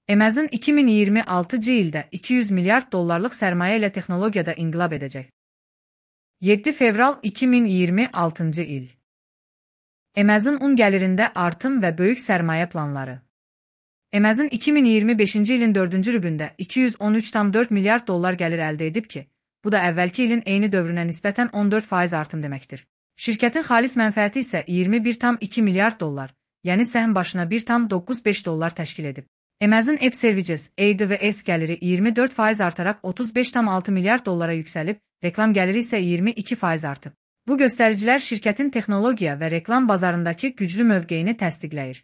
Amazon 2026-cı ildə 200 milyard dollarlıq sərmayə ilə texnologiyada inqilab edəcək. 7 fevral 2026-cı il. Amazon un gəlirində artım və böyük sərmayə planları. Amazon 2025-ci ilin 4-cü rübündə 213,4 milyard dollar gəlir əldə edib ki, bu da əvvəlki ilin eyni dövrünə nisbətən 14% artım deməkdir. Şirkətin xalis mənfəəti isə 21,2 milyard dollar, yəni səhm başına 1,95 dollar təşkil edib. Amazon Web Services (AWS) gəliri 24% artaraq 35,6 milyard dollara yüksəlib, reklam gəliri isə 22% artıb. Bu göstəricilər şirkətin texnologiya və reklam bazarındakı güclü mövqeyini təsdiqləyir.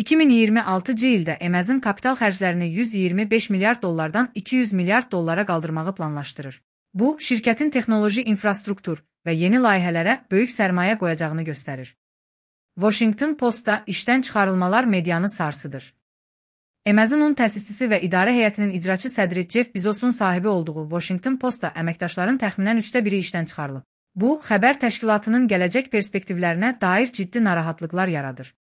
2026-cı ildə Amazon kapital xərclərini 125 milyard dollardan 200 milyard dollara qaldırmağı planlaşdırır. Bu, şirkətin texnoloji infrastruktur və yeni layihələrə böyük sərmayə qoyacağını göstərir. Washington Postda işdən çıxarılmalar medianı sarsıdır. Amazon'un təsisçisi və idarə heyətinin icraçı sədri Jeff Bezos'un sahibi olduğu Washington Postda əməkdaşların təxminən 1/3 işdən çıxarılıb. Bu, xəbər təşkilatının gələcək perspektivlərinə dair ciddi narahatlıqlar yaradır.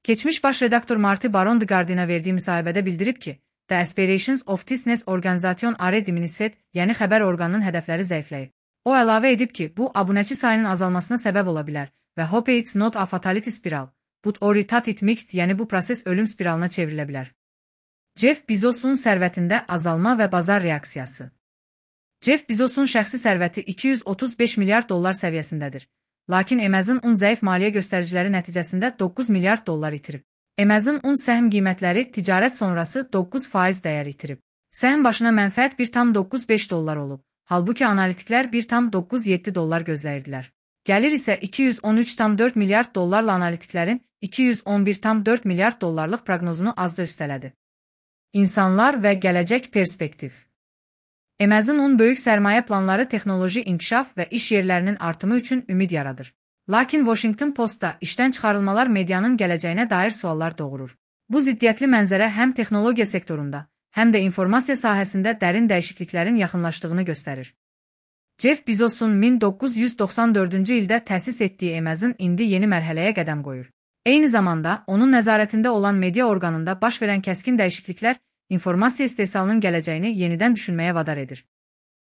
Keçmiş baş redaktor Marty Baron The Guardian'a verdiyi müsahibədə bildirib ki, The Aspirations of Business Organization are diminished, yəni xəbər orqanının hədəfləri zəifləyib. O əlavə edib ki, bu abunəçi sayının azalmasına səbəb ola bilər və hope it's not a fatality spiral, but or it might, yəni bu proses ölüm spiralına çevrilə bilər. Jeff Bezos'un sərvətində azalma və bazar reaksiyası. Jeff Bezos'un şəxsi sərvəti 235 milyard dollar səviyyəsindədir. Lakin Amazon un zəif maliyyə göstəriciləri nəticəsində 9 milyard dollar itirib. Amazon un səhm qiymətləri ticarət sonrası 9% dəyər itirib. Səhm başına mənfəət 1,95 dollar olub, halbuki analitiklər 1,97 dollar gözləyirdilər. Gəlir isə 213,4 milyard dollarla analitiklərin 211,4 milyard dollarlıq proqnozunu azca üstələdi. İnsanlar və gələcək perspektiv. Amazon'un böyük sərmayə planları texnoloji inkişaf və iş yerlərinin artımı üçün ümid yaradır. Lakin Washington Postda işdən çıxarılmalar medianın gələcəyinə dair suallar doğurur. Bu ziddiyyətli mənzərə həm texnologiya sektorunda, həm də informasiya sahəsində dərin dəyişikliklərin yaxınlaşdığını göstərir. Jeff Bezos'un 1994-cü ildə təsis etdiyi Amazon indi yeni mərhələyə qədəm qoyur. Eyni zamanda, onun nəzarətində olan media orqanında baş verən kəskin dəyişikliklər informasiya istehsalının gələcəyini yenidən düşünməyə vadar edir.